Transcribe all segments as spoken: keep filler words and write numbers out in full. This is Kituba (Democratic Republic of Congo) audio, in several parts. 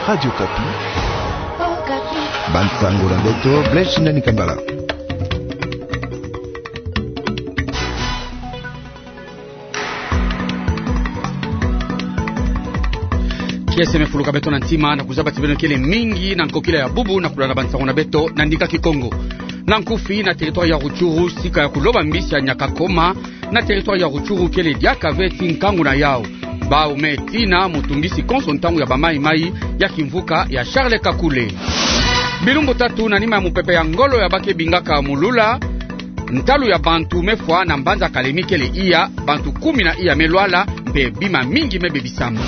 Radio Okapi. Bansango na beto, Blaise Shindani Kambala. Kiese me fuluka beto na ntima na kuzaba ti beno kele mingi na nkokila ya bubu na kulanda bansango na beto na ndinga Kikongo. Na nkufi, na territoire ya Rutshuru, sika ya kuloba mbisi ya Nyakakoma, na territoire ya Rutshuru kele diaka ve ti nkangu na yau. Bau me tina mutungisi konso ntangu ya bamaimai ya kimvuka ya Charles Kakule. Bilumbu tatu na nima ya mupepe ya ngolo ya bake bingaka Mulula, ntalu ya bantu me fwa na mbanza Kalemi kele iya, bantu kumi na iya me lwala, mpe bima mingi me bebisama.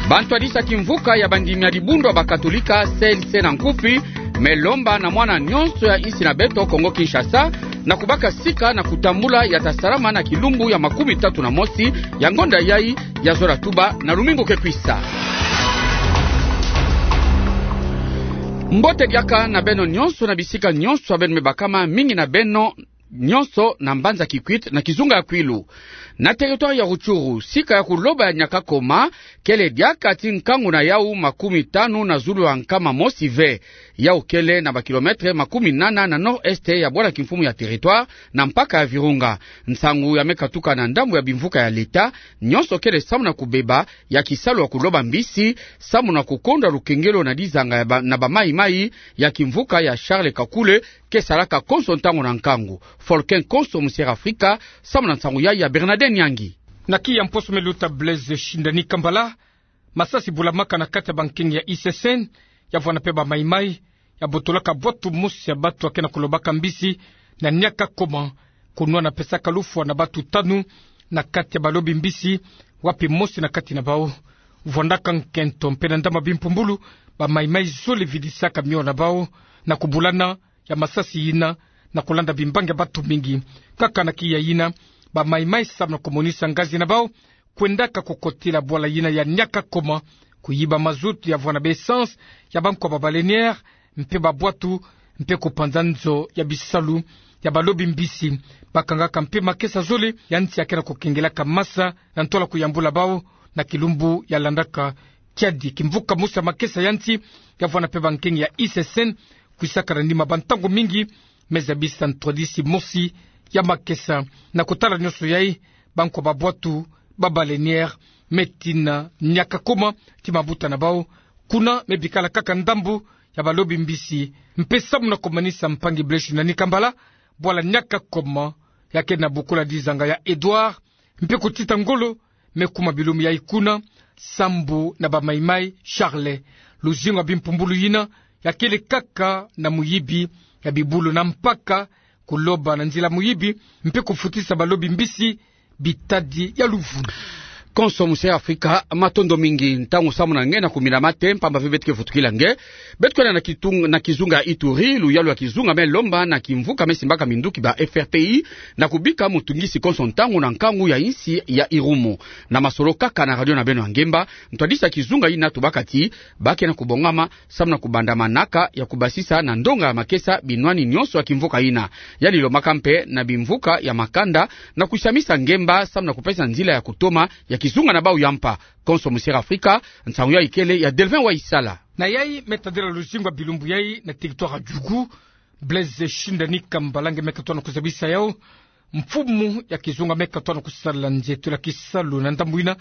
Bantwadisi ya kimvuka ya bandimi ya dibundu ya bakatolika, C L C na nkufi, me lomba na mwana nyonso ya insi na beto Kongo Kinshasa, na kubaka sika na kutambula ya ta salama na kilumbu ya makumi tatu na mosi ya ngonda yai ya zola tuba na lumingu ke kwisa. Mbote diaka na beno nyonso na bisika nyonso ya beno me bakama, mingi na beno nyonso na mbanza Kikwit na kizunga ya Kwilu. Na territoire ya Rutshuru, sika ya kuloba ya Nyakakoma kele diaka ti nkangu na yau makumi tanu na zulu ya nkama mosi ve. Yau kele na ba kilomètre makumi nana na nord-est ya bwala kimfumu ya territoire, na mpaka ya Virunga. Nsangu ya me katuka na ndambu ya bimvuka ya leta, nyonso kele samu na kubeba ya kisalu ya kuloba mbisi, samu na kukondwa lukengelo na dizanga ya ba, na bamaimai ya kimvuka ya Charles Kakule, ke salaka konso ntangu na nkangu. Folken Konso, Musier Afrika, samu na nsangu yai ya Bernadette Nyangi. Na kiya mposo me luta, Blaise Shindani Kambala, masasi bulamaka na kati ya bankengi ya I C C N, ya vwanda mpe bamaimai, ya botolaka bwatu mosi ya batu ya ke na kulobaka mbisi na Nyakakoma, kunwana pesaka lufwa na batu tanu na kati ya balobi mbisi, wapi mosi na kati na bau vwandaka nkento, mpe na ndambu ya bimpumbulu, bamaimai zole vidisaka mio na bau na kubulana ya masasi yina, na kulanda bimbangi ya batu mingi. Kaka na kiya yina, bamaimai samu na kumonisa ngazi na bau, kwendaka kukotila bwala yina ya Nyakakoma, kuyiba mazout ya vwanda ba essence ya bankwa ba baleinière, mpe babwatu, mpe kupanza nzo ya bisalu ya balobi mbisi. Bakangaka mpe makesa zole ya nsi ya ke na kukengelaka masa na ntwala kuyambula bau na kilumbu ya landaka. Kiadi kimvuka mosi ya makesa ya nsi ya vwanda mpe bankengi ya I C C N, kwisaka na nima bantangu mingi, me zabisa ntwadisi mosi ya makesa. Na kutala nyonso yai, bankwa babwatu ba baleinière me tina Nyakakoma ti mabuta na bau, kuna me bikala kaka ndambu ya balobi mbisi. Mpe samu na kumanisa, mpangi Blaise Shindani Kambala, bwala Nyakakoma ya ke na bukula dizanga ya Edouard, mpe kutita ngolo me kuma bilumbu yai kuna, sambu na bamaimai Charles. Luzingu ya bimpumbulu yina ya kele kaka na muyibi ya bibulu na mpaka, kuloba na nzila muyibi, mpe kufutisa balobi mbisi bitadi ya luvunu. Konso, Musier Afrika, matondo mingi. Ntangu samu na nge na kumina mate, mpamba ve beto ke vutukila nge. Beto kwenda na kitung-, na kizunga ya Ituri, luyalu ya kizunga me lomba na kimvuka me simbaka minduki ba F R P I, na kubika mutungisi konso ntangu na nkangu ya insi ya Irumu. Na masolo kaka na radio na beno ya ngemba, ntwadisi ya kizunga yina tubaka ti ba ke na kubongama samu na kubanda manaka ya kubasisa na ndonga ya makesa binwani nyonso ya kimvuka yina. Yandi lomaka mpe na bimvuka ya makanda na kusamisa ngemba samu na kupesa nzila ya kutoma ya kizunga na bau ya mpa. Konso, Musier Afrika, nsangu yai kele ya Delvin Waisala. Na yai me tadila luzingu ya bilumbu yai na territoire ya Djugu, Blaise Shindani Kambala, nge me katona kuzabisa yau. Mfumu ya kizunga me katona kusala nzietolo ya kisalu na ndambu yina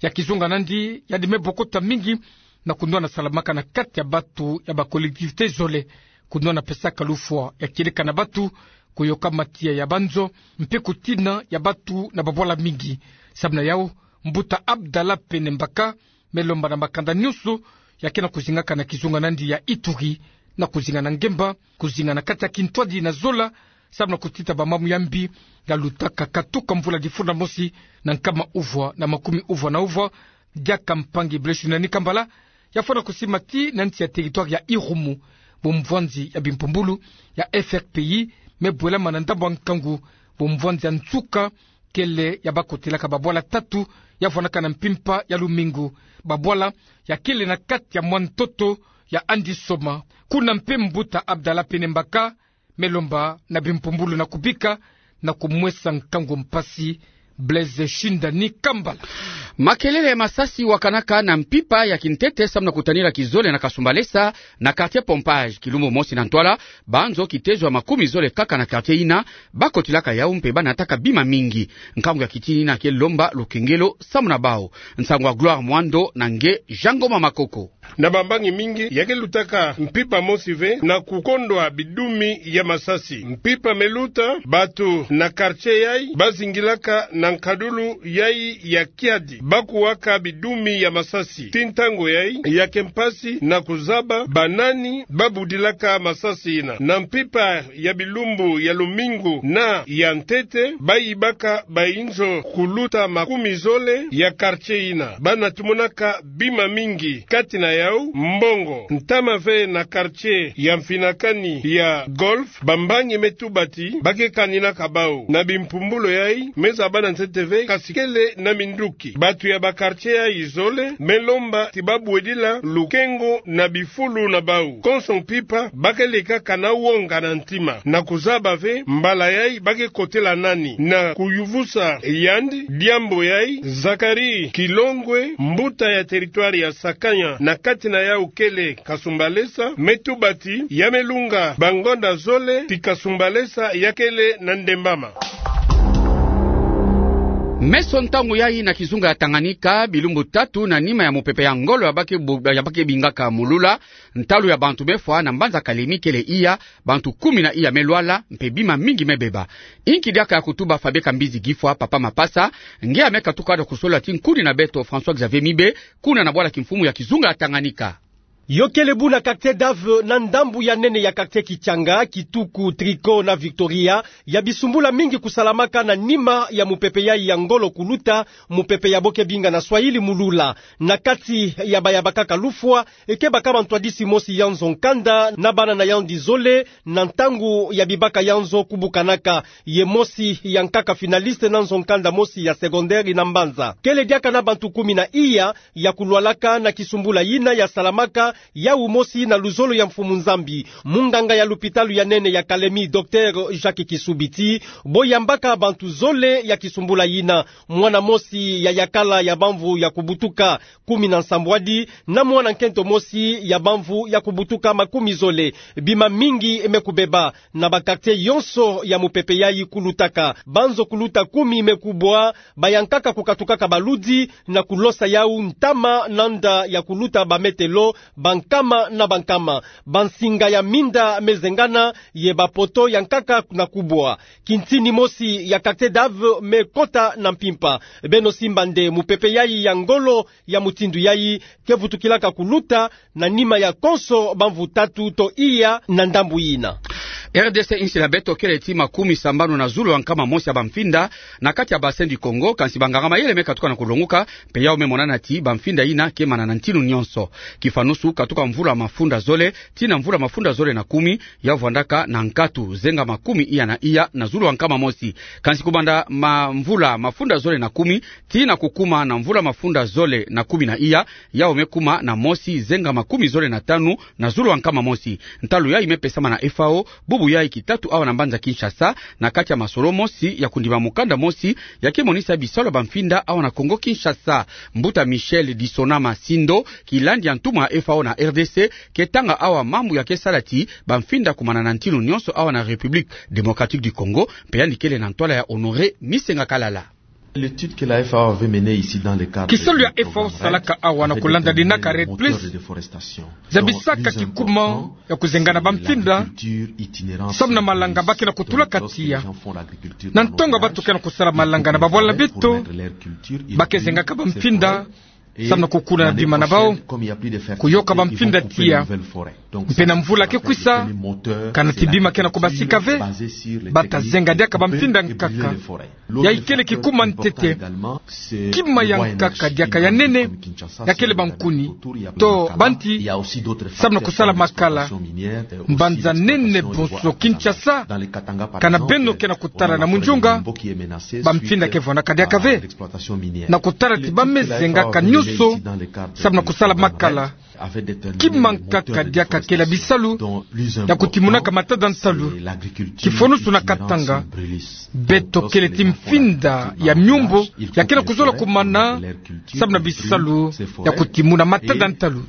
ya kizunga na yandi, yandi me bokota mingi na kunwana salamaka na kati ya batu ya ba collectivité zole, kunwana pesaka lufwa ya kieleka na batu, kuyoka matiya ya banzo, mpe kutina ya batu na babwala mingi. Samu na yau, mbuta Abdallah Pene Mbaka me lomba na makanda nyonso ya ke na kuzingaka na kizunga na yandi ya Ituri, na kuzinga na ngemba, kuzinga na kati ya kintwadi na zola, samu na kutita bamamu ya mbi ya lutaka katuka mvula difunda mosi na nkama uvwa na makumi uvwa na uvwa, diaka mpangi Blaise Shindani Kambala ya fwana kusima ti na nsi ya territoire ya Irumu, bumvwanzi ya bimpumbulu ya F R P I me bwelama na ndambu ya nkangu, bumvwanzi ya nsuka kele ya bakotelaka babwala tatu ya vwanaka na mpimpa ya lumingu, babwala ya kele na kati ya mwa ntoto ya Andisoma. Kuna mpe mbuta Abdallah Pene Mbaka me lomba na bimpumbulu na kubika na kumwesa nkangu mpasi Blaise Shindani Kambala. Makelele ya masasi wakanaka na mpimpa ya kintete samu na kutanila kizole na Kasumbalesa, na quartier Pompage, kilumbu mosi na ntwala, banzo kitezo ya makumi zole kaka na quartier yina bakotilaka yau mpe banataka bima mingi. Nkangu ya kitin yina ke lomba lukengelo samu na bau. Nsangu ya Gloire Mwando na nge Jean Ngoma Makoko. Na bambangi mingi ya ke lutaka mpimpa mosi ve na kukondwa bidumi ya masasi. Mpimpa me luta, bantu na quartier yai bazingilaka na nkadulu yai ya kiadi, bakuwaka bidumi ya masasi. Ti ntangu yai, ya ke mpasi na kuzaba banani babudilaka masasi yina. Na mpimpa ya bilumbu ya lumingu na ya ntete, bayibaka bainzo kuluta makumi zole ya quartier yina. Bana tumonaka bima mingi, kati na yau mbongo. Ntama ve na quartier ya mfinakani ya Golf, bambangi me tuba ti ba ke kaninaka bau. Na bimpumbulu yai, me zaba na ntete ve, kasi kele na minduki. Bantu ya ba quartier yai zole me lomba ti babwedila lukengo na bifulu na bau. Konso mpimpa, ba ke lekaka na wonga na ntima na kuzaba ve mbala yai ba ke kotela nani. Na kuyuvusa yandi diambu yai, Zacharie Kilongwe, mbuta ya territoire ya Sakanya, na kati na yau kele Kasumbalesa, me tuba ti ya me lunga bangonda zole ti Kasumbalesa ya kele na ndembama. Meso ntangu yai na kizunga ya Tanganyika, bilumbu tatu na nima ya mupepe ya ngolo ya ba ke bu-, ya ba ke bingaka Mulula, ntalu ya bantu me fwa na mbanza Kalemi kele iya, bantu kumi na iya me lwala, mpe bima mingi me beba. Inki diaka ya kutuba Fabien Kambizi Gifwa, Papa Mapasa, nge ame katuka na kusolola ti nkuni na beto François Xavier Mibe, kuna na bwala kimfumu ya kizunga ya Tanganyika. Yo kele bu na quartier Dave, na ndambu ya nene ya quartier Kichanga, Kituku, Tricot na Victoria, ya bisumbula mingi kusalamaka na nima ya mupepe yai ya ngolo kuluta, mupepe ya bo ke binga na Swahili Mulula. Na kati ya baya bakaka lufwa, e ke baka mantwadisi mosi ya nzo nkanda na bana na yandi zole, na ntangu ya bibaka ya nzo kubukanaka, ye mosi ya nkaka finaliste na nzo nkanda mosi ya secondaire na mbanza. Kele diaka na bantu kumi na iya ya kulwalaka na kisumbula yina ya salamaka, yau mosi na luzolo ya Mfumu Nzambi. Munganga ya lupitalu ya nene ya Kalemi, Docteur Jacques Kisubi ti bo yambaka bantu zole ya kisumbula yina. Mwana mosi ya yakala ya bamvu ya kubutuka kumi na nsambwadi, na mwana nkento mosi ya bamvu ya kubutuka makumi zole. Bima mingi me kubeba na ba quartier yonso ya mupepe yai kulutaka. Banzo kuluta kumi me kubwa, bayankaka kukatukaka baludi na kulosa yau ntama na nda ya kuluta bametelo bankama na bankama. Bansinga ya minda me zengana, ye bapoto yankaka na kubwa. Kintini mosi ya quartier Dave me kota na mpimpa. Beno simba nde mupepe yai ya ngolo ya mutindu yai ke vutukilaka kuluta na nima ya konso bamvu tatu to iya na ndambu yina. R D C, insi na beto, kele ti makumi sambanu na zulu ya nkama mosi ya bamfinda na kati ya Bassin du Congo, kansi banganga-mayele me katuka na kulonguka, mpe yau me monana ti bamfinda yina ke mana na ntinu nyonso. Kifanusu, katuka mvula mafunda zole tii na mvula mafunda zole na kumi, yau vwandaka na nkatu zenga makumi iya na iya na zulu ya nkama mosi. Kansi kubanda ma mvula mafunda zole na kumi tii na kukuma na mvula mafunda zole na kumi na iya, yau me kuma na mosi zenga makumi zole na tanu na zulu ya nkama mosi. Ntalu yai me pesama na F A O, bubu yai kitatu awa na mbanza Kinshasa, na kati ya masolo mosi ya kundima mukanda mosi ya ke monisa bisalu ya bamfinda awa na Congo Kinshasa. Mbuta Michel Disonama Sindo, kilandi ya ntumwa ya F A O na R D C, ke tanga awa mambu ya ke sala ti bamfinda kumana na ntinu nyonso awa na République Démocratique du Congo, mpe yandi kele na ntwala ya Honoré Misenga Kalala. Kisalu ya F A O salaka awa na kulanda dinaka REDD plus zabisaka kikuma ya kuzengana bamfinda samu na malanga ba ke na kutula katiya. Na ntonga bantu ke na kusala malanga na babwala beto, ba ke zengaka bamfinda samu na kukuna na bima na bau, kuyoka bamfinda tiya. Mpe na mvula ke kwisa, kana ti bima ke na kubasika ve, bata zenga diaka bamfinda nkaka. Yai kele kikuma ntete. Kima ya nkaka diaka ya nene ya kele bankuni to banti samu na kusala makala. Mbanza nene bonso Kinshasa, kana beno ke na kutala na munzunga, bamfinda ke vwandaka diaka ve. Na kutala ti ba me zengaka nyo So, samu na kusala makala, ki mankaka diaka kele bisalu ya kutimunaka matada ntalu, ki fonusu na katanga beto kele ti mfinda ya miumbo ya kele kuzola kumana, samu na bisalu ya kutimuna matada ntalu.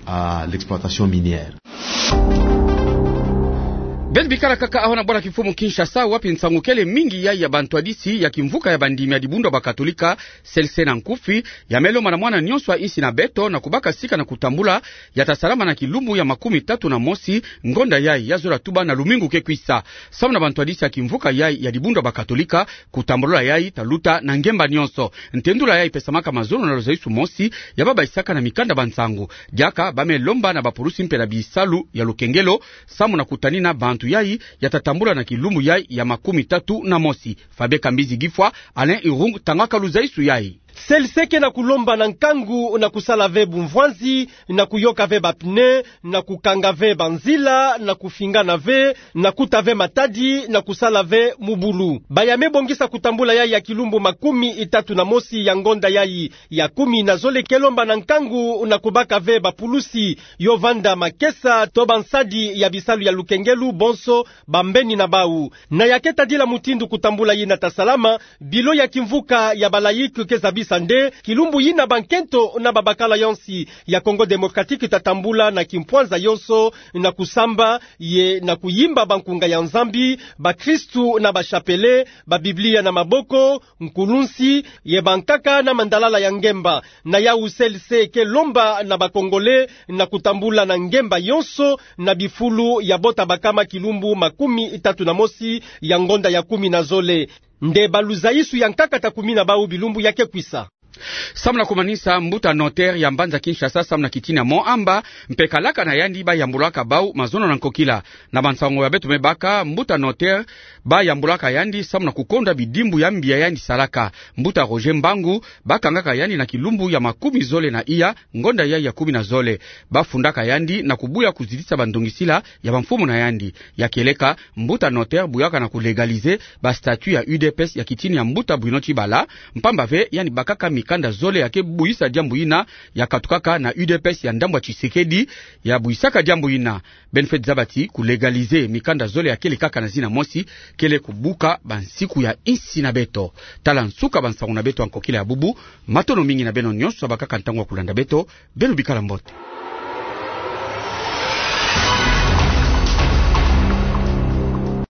Beno bikala kaka aho na bwala kimfumu Kinshasa, wapi nsangu kele mingi yai ya bantwadisi ya kimvuka ya bandimi ya dibundu ya bakatolika, C L C na nkufi, ya me lomba na mwana nyonso ya insi na beto na kubaka sika na kutambula ya tasalama na kilumbu ya makumi tatu na mosi ngonda yai ya zola tuba na lumingu ke kwisa. Samu na bantwadisi ya kimvuka yai ya dibundu ya bakatolika, kutambula yai taluta na ngemba nyonso. Ntendula yai pesamaka mazono na luzaisu mosi ya baba bayisaka na mikanda ba nsangu. Diaka ba me lomba na bapulusi mpe na bisalu ya lukengelo, samu na kutanina bantu yai ya tatambula na kilumbu yai ya makumi tatu na mosi. Fabien Kambizi Gifwa, Alain Irung tangaka luzaisu yai. C L C ke na kulomba na nkangu na kusala ve bumvwanzi, na kuyoka ve bapneu, na kukanga ve banzila, na kufingana ve, na kuta ve matadi, na kusala ve mubulu. Ba ya me bongisa kutambula yai ya kilumbu makumi tatu na mosi ya ngonda yai ya kumi na zole ke lomba na nkangu na kubaka ve bapulusi yo vanda makesa to bansadi ya bisalu ya lukengelo bonso bambeni na bau. Na ya ke tadila mutindu kutambula yina tasalama, bilo ya kimvuka ya ba laïc ke zabisa nde kilumbu yina bankento na babakala ya nsi ya Congo Démocratique tatambula na kimpwanza yonso, na kusamba ye na kuyimba bankunga ya Nzambi, bakristu na ba chapelet, ba Biblia na maboko, nkulunsi, ye bankaka na mandalala ya ngemba. Na yau C L C ke lomba na ba Congolais na kutambula na ngemba yonso na bifulu ya bota bakama kilumbu makumi tatu na mosi ya ngonda ya kumi na zole. Nde ba luzaisu ya nkaka ta kumi na bau bilumbu ya ke kwisa. Samu na kumanisa, mbuta notaire ya mbanza Kinshasa samu na kitini ya Mont Amba mpe kalaka na yandi ba yambulaka bau mazono na nkokila. Na bansangu ya beto me baka, mbuta notaire ba yambulaka yandi samu na kukonda bidimbu ya mbi ya yandi salaka. Mbuta Roger Mbangu ba kangaka yandi na kilumbu ya makumi zole na iya ngonda yai ya kumi na zole. Ba fundaka yandi na kubuya kuzitisa bandongisila ya bamfumu na yandi. Ya kieleka, mbuta notaire buyaka na kulégaliser ba statut ya U D P S ya kitini ya mbuta Bruno Tshibala, mpamba ve yandi bakaka mikanda zole ya ke buyisa diambu yina, ya katukaka na U D P S ya ndambu ya Tshisekedi ya buyisaka diambu yina. Beno fweti zaba ti kulégaliser mikanda zole ya kele kaka na zina mosi kele kubuka bansiku ya insi na beto. Tala nsuka bansangu na beto ya nkokila ya bubu. Matondo mingi na beno nyonso ya bakaka ntangu ya kulanda beto. Beno bikala mbote.